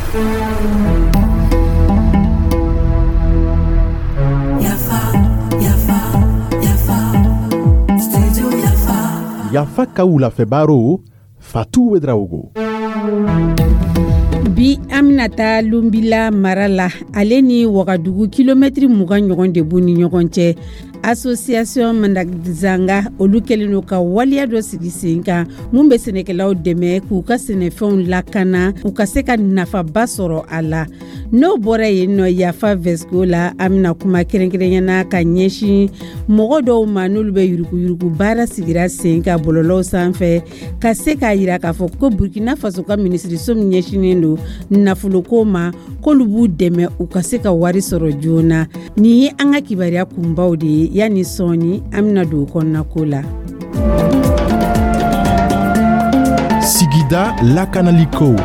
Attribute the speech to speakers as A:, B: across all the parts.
A: Yafa, yafa, yafa, studio Yafa.
B: Yafa ka wulafɛ baro, Fatu Ouédraogo.
C: Bi, an bɛna taa Lunbila mara la. Ale ni Wagadugu, kilomɛtiri 20 ɲɔgɔn de b'u ni ɲɔgɔn cɛ. Association Managzanga, olu kɛlen don ka waleya dɔ sigi sen kan mun bɛ sɛnɛkɛlaw dɛmɛ k'u ka sɛnɛfɛnw lakana, u ka se ka nafaba sɔrɔ a la. N'o bɔra yen nɔ, Yafa Vɛsiko la, an bɛna kuma kɛrɛnkɛrɛnyana ka ɲɛsin mɔgɔ dɔw ma, n'olu bɛ yuruguyurugu baara sigira sen kan bɔlɔlɔw sanfɛ, ka se k'a yira k'a fɔ ko Burkina Faso ka minisiriso min ɲɛsinnen don nafoloko ma, k'olu b'u dɛmɛ u ka se ka wari sɔrɔ joona. Nin ye an ka kibaruya kunbaw de ye. Yanni sɔɔni, an bɛna don o kɔnɔnako la.
B: Sigida lakanaliko.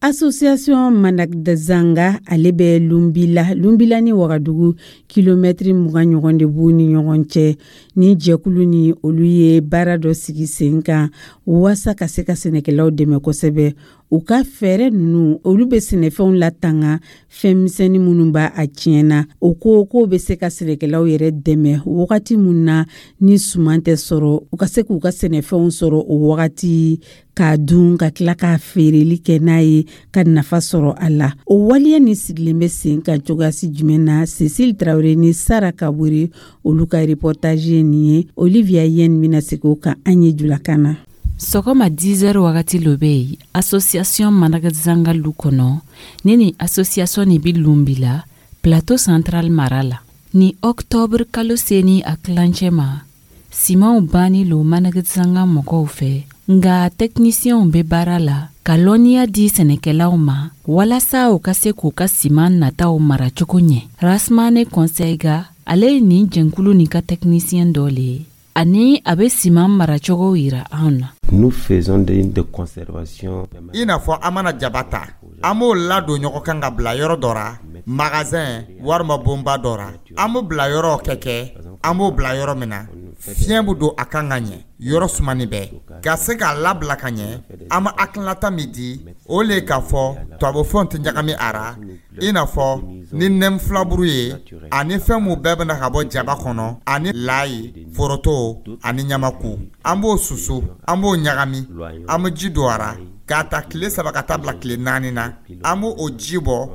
C: Association Managzanga, ale bɛ Lunbila. Lunbila ni Wagadugu, kilomɛtiri 20 ɲɔgɔn de b'u ni ɲɔgɔn cɛ. Ni jɛkulu ni olu ye baara dɔ sigi sen kan waasa ka se ka sɛnɛkɛlaw dɛmɛ kosɛbɛ. U ka fɛɛrɛ ninnu, olu bɛ sɛnɛfɛnw latanga fɛn misɛnnin minnu b'a a tiɲɛna. O ko k'o bɛ se ka sɛnɛkɛlaw yɛrɛ dɛmɛ wagati min na ni suman tɛ sɔrɔ, u ka se k'u ka sɛnɛfɛnw sɔrɔ o wagati k'a dun, ka tila k'a feereli kɛ n'a ye ka nafa sɔrɔ a la. O waleya ni sigilen bɛ sen kan cogoyasi jumɛn na? Cécile Traoré ni Sara Kabore, olu ka reportage ye nin ye. Olivia Yen bɛna segin o kan an ye julakan na.
D: Sɔgɔma 10 heures wagati lo bɛ yen association Managzanga lu kɔnɔ. Ni association nin bi Lunbila, Plateau Central mara la. Ni octobre kalo seni a tilancɛ ma, simanw banni lo Managzanga mɔgɔw fɛ, nga tɛkinisiyɛnw bɛ baara la ka lɔnniya di sɛnɛkɛlaw ma walasa u ka se k'u ka siman nataw mara cogo ɲɛ. Rasmane Conseil, ale ye nin jɛnkulu nin ka tɛkinisiyɛn dɔ le ye, ani a bɛ siman maracogo yira anw na.
E: Nous faisons de conservation.
F: I n'a fɔ an mana jaba ta, an b'o ladon ɲɔgɔn kan ka bila yɔrɔ dɔ ra, magasin walima bonba dɔ ra. An b'o bila yɔrɔ kɛ kɛ an b'o bila yɔrɔ min na, fiɲɛ bɛ don a kan ka ɲɛ, yɔrɔ sumani bɛɛ ka se k'a labila ka ɲɛ. An bɛ hakilinata min di, o le k'a fɔ tubabufɛnw tɛ ɲagami a ra, i n'a fɔ ni nɛm filaburu ye, ani fɛn mun bɛɛ bɛna ka bɔ jaba kɔnɔ, ani layi, foroto ani ɲamaku. An b'o susu, an b'o ɲagami, an bɛ ji don a ra k'a ta tile 3 ka taa bila tile 4 na. An b'o o ji bɔ,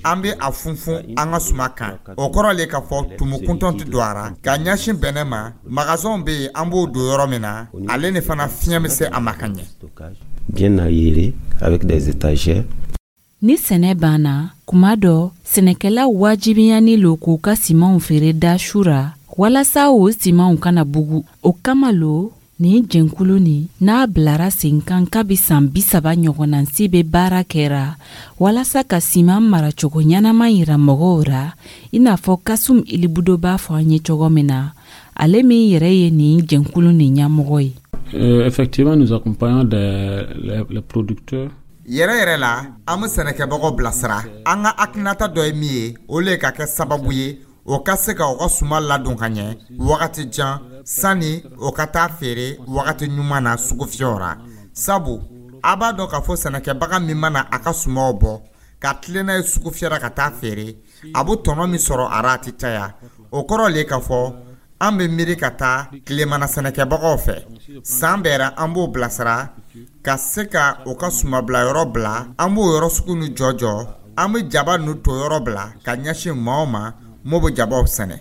F: an bɛ a funfun an ka suma kan. O kɔrɔ le k'a fɔ tumu kuntɔn tɛ don a ra. Ka ɲɛsin bɛnɛ ma, magasinw bɛ yen, an b'o don yɔrɔ min na, ale ni fana fiɲɛ bɛ se a ma ka ɲɛ.
E: Bien aéré avec des étagères.
D: Ni sɛnɛ banna kuma dɔ, sɛnɛkɛlaw wajibiyani lo k'u ka simanw feere da su ra walasa o simanw kana bugu. O kama lo nin jɛnkulu nin n'a bilara sen kan kabi san 30 ɲɔgɔnnansi bɛ baara kɛra walasa ka siman maracogo ɲɛnama yira mɔgɔw ra, i n'a fɔ Kasum Ilibudo b'a fɔ an ye cogo min na, ale min yɛrɛ ye nin jɛnkulu nin ɲɛmɔgɔ ye.
G: Effectivement, nous accompagnons les producteurs.
F: Yɛrɛ yɛrɛ la, an bɛ sɛnɛkɛbagaw bilasira. An ka hakilinata dɔ ye min ye, o le ka kɛ sababu ye o ka se ka u ka suma ladon ka ɲɛ wagati jan sani o ka taa feere wagati ɲuman na sugufiyɛw ra, sabu a b'a dɔn k'a fɔ sɛnɛkɛbaga min mana a ka sumaw bɔ ka tilen n'a ye sugufiyɛ ka taa feere, a bɛ tɔnɔ min sɔrɔ a ra, a tɛ caya. O kɔrɔ le k'a fɔ an bɛ miiri ka taa tilemana sɛnɛkɛbagaw fɛ. San bɛɛ ra, an b'o bilasira ka se ka u ka sumabilayɔrɔ bila. An b'o yɔrɔ sugu ni jɔ jɔ, an bɛ jaba ninnu to yɔrɔ bila ka ɲɛsin maaw ma m'o bɛ jabaw sɛnɛ.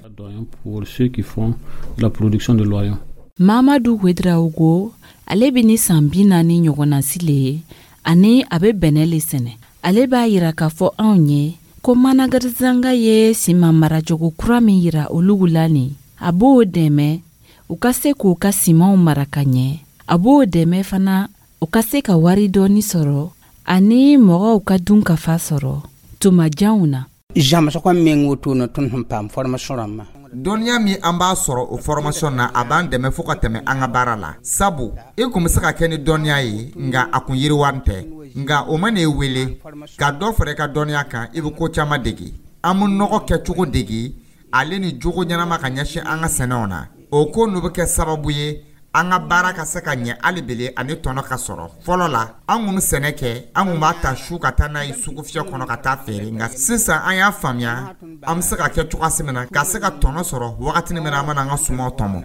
G: Pour ceux qui font la production de l'oignon.
D: Mamadu Ouédraogo, ale bɛ ni san 40 ɲɔgɔnnasi le ye, ani a bɛ bɛnɛ le sɛnɛ. Ale b'a yira k'a fɔ anw ye ko Managarizanga ye siman maracogo kura min yira olugu la nin, a b'o dɛmɛ u ka se k'u ka simanw mara ka ɲɛ. A b'o dɛmɛ fana u ka se ka wari dɔɔni sɔrɔ, ani mɔgɔw ka dun ka fa sɔrɔ tuma janw na.
H: Zãmsgã meng woto ne tõnd sẽn paam formation rãmbã.
F: Dɔnniya min an b'a sɔrɔ o formation na, a b'an dɛmɛ fo ka tɛmɛ an ka baara la, sabu i kun bɛ se ka kɛ ni dɔnniya ye, nka a kun yiriwani tɛ. Nka o mana e wele ka dɔ fara i ka dɔnniya kan, i bɛ ko caman dege. An bɛ nɔgɔ kɛcogo dege, ale ni jogo ɲɛnama ka ɲɛsin an ka sɛnɛw na. O ko n'u bɛ kɛ sababu ye An ka baara ka se ka ɲɛ hali bele ani tɔnɔ ka sɔrɔ. Fɔlɔ la, an kun bɛ sɛnɛ kɛ, an kun b'a ta su ka taa n'a ye sugufiyɛ kɔnɔ ka taa feere. Nka sisan, an y'a faamuya an bɛ se ka kɛ cogoya min na ka se ka tɔnɔ sɔrɔ wagati min na an mana an ka sumaw tɔmɔ.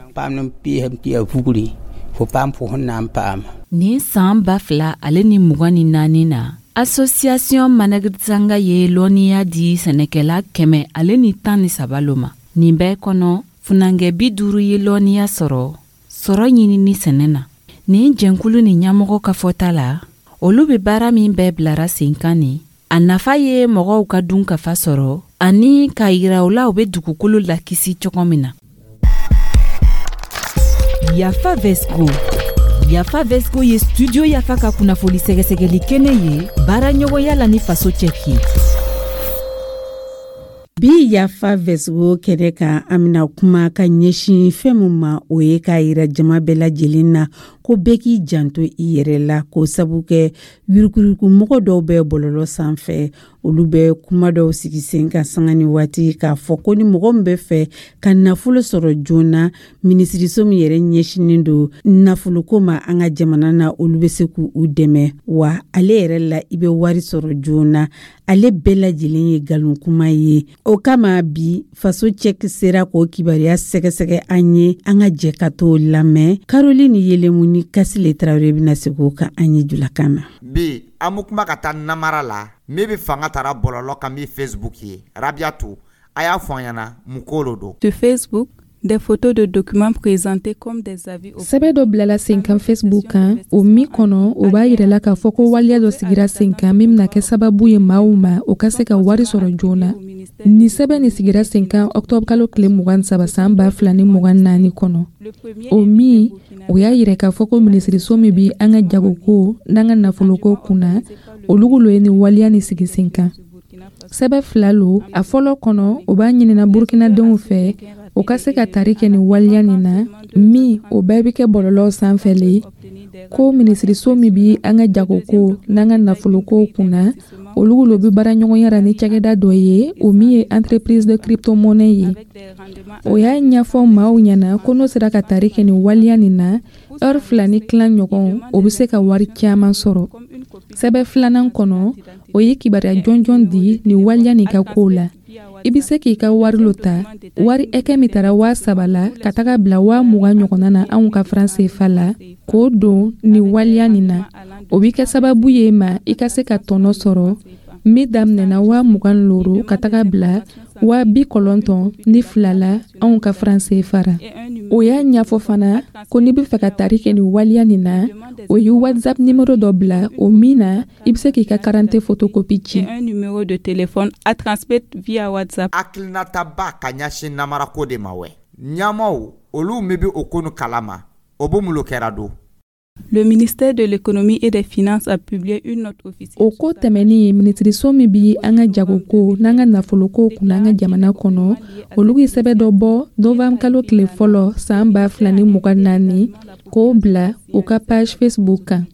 D: Nin san 2024 na, association Managzanga ye lɔnniya di sɛnɛkɛla 113 lo ma. Nin bɛɛ kɔnɔ, funankɛ 50 ye lɔnniya sɔrɔ sɔrɔ ɲinini sɛnɛ na. Nin jɛnkulu ni ɲɛmɔgɔ ka fɔta la, olu bɛ baara min bɛɛ bilara sen kan nin, a nafa ye mɔgɔw ka dun kafa sɔrɔ ani k'a yira u la u bɛ dugukolo lakisi cogo min na.
I: Yafa Vesco. Yafa Vesco ye Studio Yafa ka kunnafoni sɛgɛsɛgɛli kɛnɛ ye baara ɲɔgɔnya la ni Faso cɛ ye.
C: Bi Yafa Vɛsgo kɛnɛ kan, an bɛna kuma ka ɲɛsin fɛn min ma, o ye k'a yira jama bɛɛ lajɛlen na ko bɛɛ k'i janto i yɛrɛ la, k'o sabu kɛ yuruguyurugu dɔw bɛ bɔlɔlɔ sanfɛ. Olu bɛ kuma dɔw sigi sen kan sanga ni waati k'a fɔ ko ni mɔgɔ min bɛ fɛ ka nafolo sɔrɔ joona, minisiriso min yɛrɛ ɲɛsinnen don nafoloko ma an ka jamana na, olu bɛ se k'u dɛmɛ, wa ale yɛrɛ la, i bɛ wari sɔrɔ joona. Ale bɛɛ lajɛlen ye nkalon kuma ye. O kama bi, Faso cɛ sera k'o kibaruya sɛgɛsɛgɛ an ye. An ka jɛ ka t'o lamɛn. Caroline Yelemu ni Kasile Tarawele bɛna segin o kan an ye julakan na.
F: Bi, an bɛ kuma ka taa namara la min bɛ fanga tara bɔlɔlɔ kan, min Facebook ye. Rabiatu, a y'a fɔ an ɲɛna mun ko lo don.
J: Sur Facebook, des photos de documents présentés comme des avis.
K: Sɛbɛ dɔ bilala sen kan Facebook kan, o min kɔnɔ o b'a yirala k'a fɔ ko waleya dɔ sigira sen kan min bɛna kɛ sababu ye maaw ma o ka se ka wari sɔrɔ joona. Nin sɛbɛn nin sigira sen kan octobre kalo tile 23 san 2024 kɔnɔ, o min o y'a yira k'a fɔ ko minisiriso min bi an ka jagoko n'an ka nafoloko kunna, olu lo ye nin waleya nin sigi sen kan. Sɛbɛ fila lo. A fɔlɔ kɔnɔ, o b'a ɲinina Burukinadenw fɛ o ka se ka tari kɛ nin waleya nin na, min o bɛɛ bɛ kɛ bɔlɔlɔw sanfɛ le, ko minisiriso min bi an ka jagoko n'an ka nafoloko kunna, olu lo bɛ baara ɲɔgɔnya la ni cakɛda dɔ ye, o min ye entreprise de crypto-monnaie ye. O y'a ɲɛfɔ maaw ɲɛna ko n'o sera ka tari kɛ nin waleya nin na heure 2 ni tilan ɲɔgɔn, o bɛ se ka wari caman sɔrɔ. Sɛbɛn filanan kɔnɔ, o ye kibaruya jɔnjɔn di nin waleya nin ka kow la. I bɛ se k'i ka wari lo ta, wari ɛkɛ min tara 3000 la ka taga bila 20,000 ɲɔgɔnna na anw ka franc CFA la, k'o don nin waleya nin na, o bɛ kɛ sababu ye ma i ka se ka tɔnɔ sɔrɔ min daminɛna 25 ka taga bila 92 la anw ka franc CFA ra. O y'a ɲɛfɔ fana ko n'i bɛ fɛ ka tari kɛ nin waleya nin na, o ye WhatsApp numéro dɔ bila, o min na i bɛ se k'i ka carte photocopie ci.
J: Un numéro de téléphone à transmettre via WhatsApp.
F: Hakilinataba ka ɲɛsin namarako de ma wɛ. Ɲamaw, olu min bɛ o ko kalama, o bɛ mun kɛra don.
J: Le ministère de l'Économie et des Finances a publié une note officielle.
K: O ko tɛmɛnen, minisiriso min bi an ka jagoko n'an ka nafoloko kunna an ka jamana kɔnɔ, olu ye sɛbɛn dɔ bɔ novembre kalo tile fɔlɔ san 2024, k'o bila u ka page Facebook kan.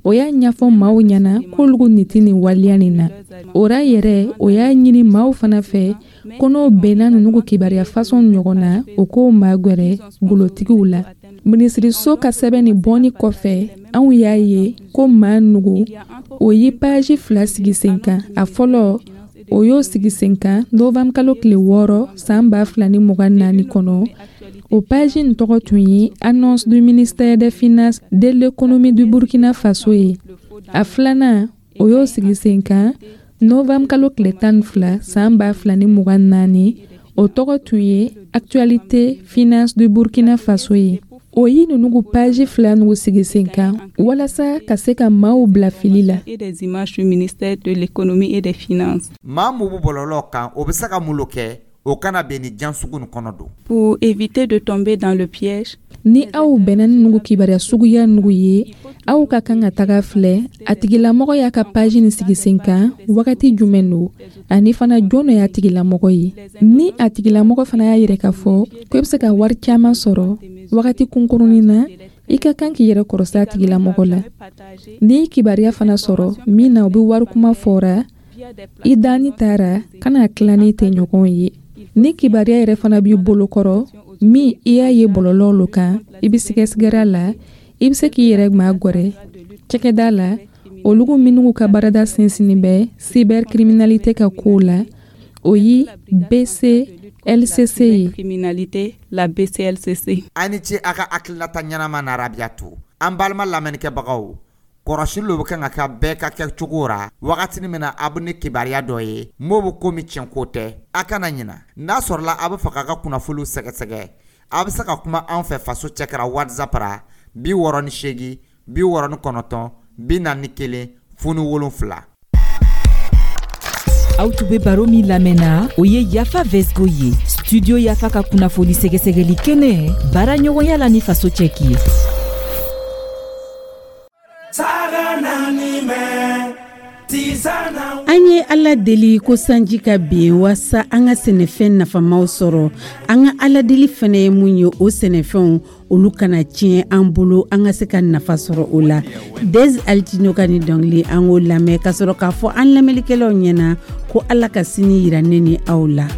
K: O y'a ɲɛfɔ maaw ɲɛna k'olu nin tɛ nin waleya nin na. O ra yɛrɛ, o y'a ɲini maaw fana fɛ ko n'o bɛnna ninnu kibaruya fasɔn ɲɔgɔn na, o k'o magɛrɛ golotigiw la. Minisiriso ka sɛbɛn nin bɔni kɔfɛ, anw y'a ye ko maa nugu o ye page fila sigi sen kan. A fɔlɔ, o y'o sigi sen kan novembre kalo tile 6 san 2024 kɔnɔ. O page nin tɔgɔ tun ye "Annonce du ministère des Finances de l'Économie du Burkina Faso" ye. A filanan, o y'o sigi sen kan novembre kalo tile 12 san 2024. O tɔgɔ tun ye "Actualité Finance du Burkina Faso" ye. O ye ninnu page fila nugu sigi sen kan walasa ka se ka maaw bila fili la.
J: Et des images du ministère de l'Économie et des Finances.
F: Maa mun bɛ bɔlɔlɔ kan, o bɛ se ka mun kɛ o kana bɛn ni jan sugu nin kɔnɔ don?
J: Pour éviter de tomber dans le piège,
K: Ni aw bɛnna ni nugu kibaruya suguya nugu ye, aw ka kan ka taga filɛ a tigilamɔgɔ y'a ka page nin sigi sen kan wagati jumɛn don, ani fana jɔn dɔ y'a tigilamɔgɔ ye. Ni a tigilamɔgɔ fana y'a yɛrɛ k'a fɔ ko i bɛ se ka wari caman sɔrɔ wagati kunkurunin na, i ka kan k'i yɛrɛ kɔrɔsi a tigilamɔgɔ la. Ni kibaruya fana sɔrɔ min na o bɛ wari kuma fɔra, i danni taara kana tila ni tɛ ɲɔgɔn ye. Ni kibaruya yɛrɛ fana b'i bolo kɔrɔ. Min i y'a ye bɔlɔlɔ lo kan, i be sigɛsigɛra la, i be se k'i yɛrɛ magwɛrɛ cakɛda la, olugu minnu ka baarada sinsinnin bɛ cybercriminalité ka kow la, o ye BCLCC ye.
J: Criminalité, la BCLCC.
F: A ni ce a ka hakilinata ɲɛnama na, Rabiyatu. An balima lamɛnnikɛbagaw, kɔrɔsili lo bɛ kan ka kɛ bɛɛ ka kɛ cogo ra wagatini min na. A bɛ ni kibaruya dɔ ye m'o bɛ komi tiɲɛko tɛ, a kana ɲina. N'a sɔrɔla a bɛ fɛ k'a ka kunnafoniw sɛgɛsɛgɛ, a bɛ se ka kuma an fɛ Faso cɛkara WhatsApp ra 68 69 41 07.
I: Aw tun be baro min lamɛnna, o ye Yafa Vesgo ye, Studio Yafa ka kunnafoni sɛgɛsɛgɛli kɛnɛ, baara ɲɔgɔnya la ni Faso cɛki ye.
C: An ye Ala deli ko sanji ka ben waasa an ka sɛnɛfɛn nafamaw sɔrɔ. An ka Ala deli fɛnɛ ye mun ye? O sɛnɛfɛnw, olu kana tiɲɛ an bolo, an ka se ka nafa sɔrɔ o la. Des Altino ka ni dɔnkili, an k'o lamɛn ka sɔrɔ k'a fɔ an lamɛnlikɛlaw ɲɛna ko Ala ka sini yira ne ni aw la.